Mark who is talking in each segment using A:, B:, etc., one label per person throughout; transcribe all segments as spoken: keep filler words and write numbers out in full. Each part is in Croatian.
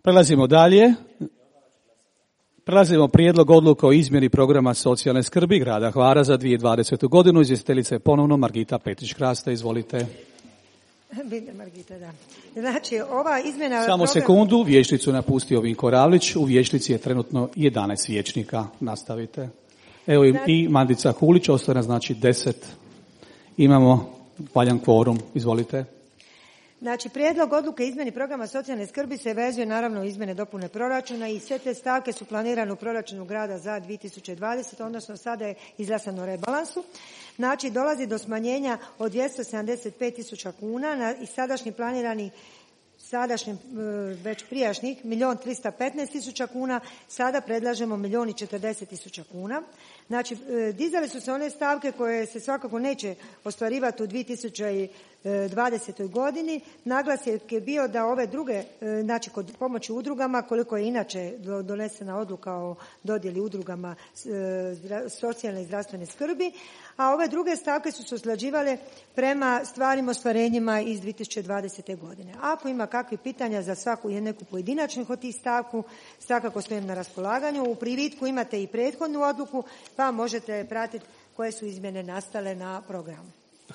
A: Prelazimo dalje. Prelazimo prijedlog odluke o izmjeni programa socijalne skrbi grada Hvara za dvije tisuće dvadesete. godinu. Izvjestiteljica je ponovno Margita Petrić-Krasta. Izvolite.
B: Margita, da. Znači, ova izmjena...
A: Samo program... sekundu, vijećnicu napustio Vinko Ravlić. U vijećnici je trenutno jedanaest vijećnika. Nastavite. Evo znači... i Mandica Hulić, ostane znači deset. Imamo valjan kvorum. Izvolite.
B: Znači, prijedlog odluke izmjeni programa socijalne skrbi se vezuje naravno u izmjene dopune proračuna i sve te stavke su planirane u proračunu grada za dvije tisuće dvadesete. odnosno sada je izglasano u rebalansu. Znači, dolazi do smanjenja od dvjesto sedamdeset pet tisuća kuna na i sadašnji planirani sadašnjim već prijašnjih milijun tristo petnaest tisuća kuna, sada predlažemo milijun i četrdeset tisuća kuna. Znači, dizale su se one stavke koje se svakako neće ostvarivati u dvije tisuće dvadesetoj. godini. Naglasak je bio da ove druge, znači kod pomoći udrugama, koliko je inače donesena odluka o dodjeli udrugama socijalne i zdravstvene skrbi, a ove druge stavke su se usklađivale prema stvarnim ostvarenjima iz dvije tisuće dvadesete. godine. Ako ima kakvih pitanja za svaku neku pojedinačnih od tih stavku, svakako stojim na raspolaganju. U privitku imate i prethodnu odluku, pa možete pratiti koje su izmjene nastale na programu.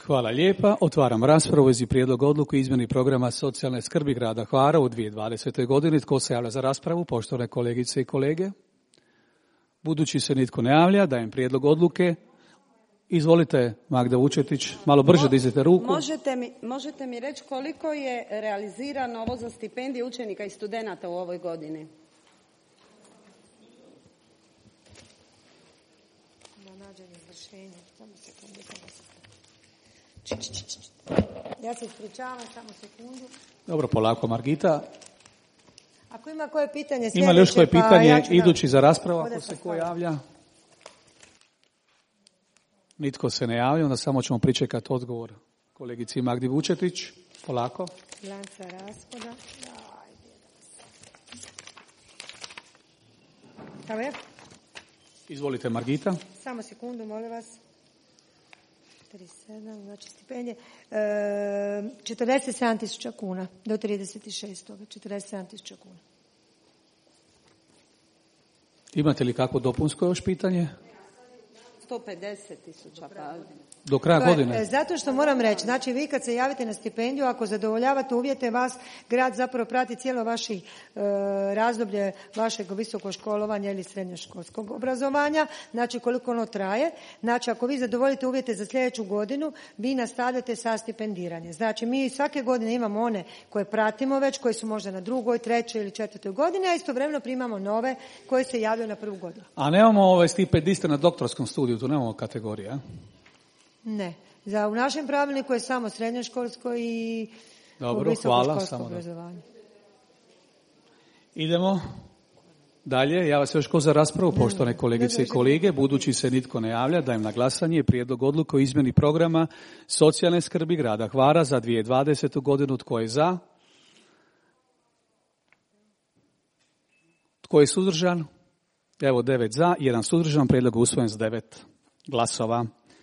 A: Hvala lijepa. Otvaram raspravu u vezi prijedloga odluke o izmjeni programa socijalne skrbi grada Hvara u dvije tisuće dvadesetoj. godini. Tko se javlja za raspravu? Poštovane kolegice i kolege. Budući se nitko ne javlja, dajem prijedlog odluke. Izvolite, Magda Vučetić, malo brže dizite ruku.
C: Možete mi, možete mi reći koliko je realizirano ovo za stipendije učenika i studenata u ovoj godini?
B: Da nađem izvršenje. Samo sekundu. Ja se ispričavam, samo sekundu.
A: Dobro, polako, Margita.
B: Ako ima koje pitanje sljedeće,
A: ima li još koje pitanje,
B: pa ja ću
A: idući
B: da...
A: za raspravu, ako se ko javlja? Nitko se ne javlja, onda samo ćemo pričekati odgovor kolegici Magdi Vučetić. Polako.
B: Lanca rashoda. Evo je.
A: Izvolite, Margita.
B: Samo sekundu, molim vas. trideset sedam, znači stipendije. E, četrdeset sedam tisuća kuna do trideset šest. četrdeset sedam tisuća kuna.
A: Imate li kako dopunsko još pitanje?
C: sto pedeset tisuća. Pa...
A: Do kraja godine?
B: Zato što moram reći, znači vi kad se javite na stipendiju, ako zadovoljavate uvjete, vas grad zapravo prati cijelo vaše e, razdoblje vašeg visokog školovanja ili srednjoškolskog obrazovanja, znači koliko ono traje. Znači ako vi zadovoljite uvjete za sljedeću godinu, vi nastavljate sa stipendiranjem. Znači mi svake godine imamo one koje pratimo već, koji su možda na drugoj, trećoj ili četvrtoj godini, a istovremeno primamo nove koji se javljaju na prvu godinu.
A: A nemamo ove stipendiste na doktorskom studiju, tu nemamo kategorija?
B: Ne. Za, u našem pravilniku je samo srednjoškolsko i
A: Dobro, hvala, samo
B: obrazovanje.
A: Idemo dalje. Ja vas još ko za raspravu, poštovane kolegice i kolege. Budući se nitko ne javlja, dajem na glasanje prijedlog odluke o izmjeni programa socijalne skrbi grada Hvara za dvije tisuće dvadesetu. godinu. Tko je za? Tko je suzdržan? Evo devet za, jedan suzdržan, prijedlog usvojen s devet glasova.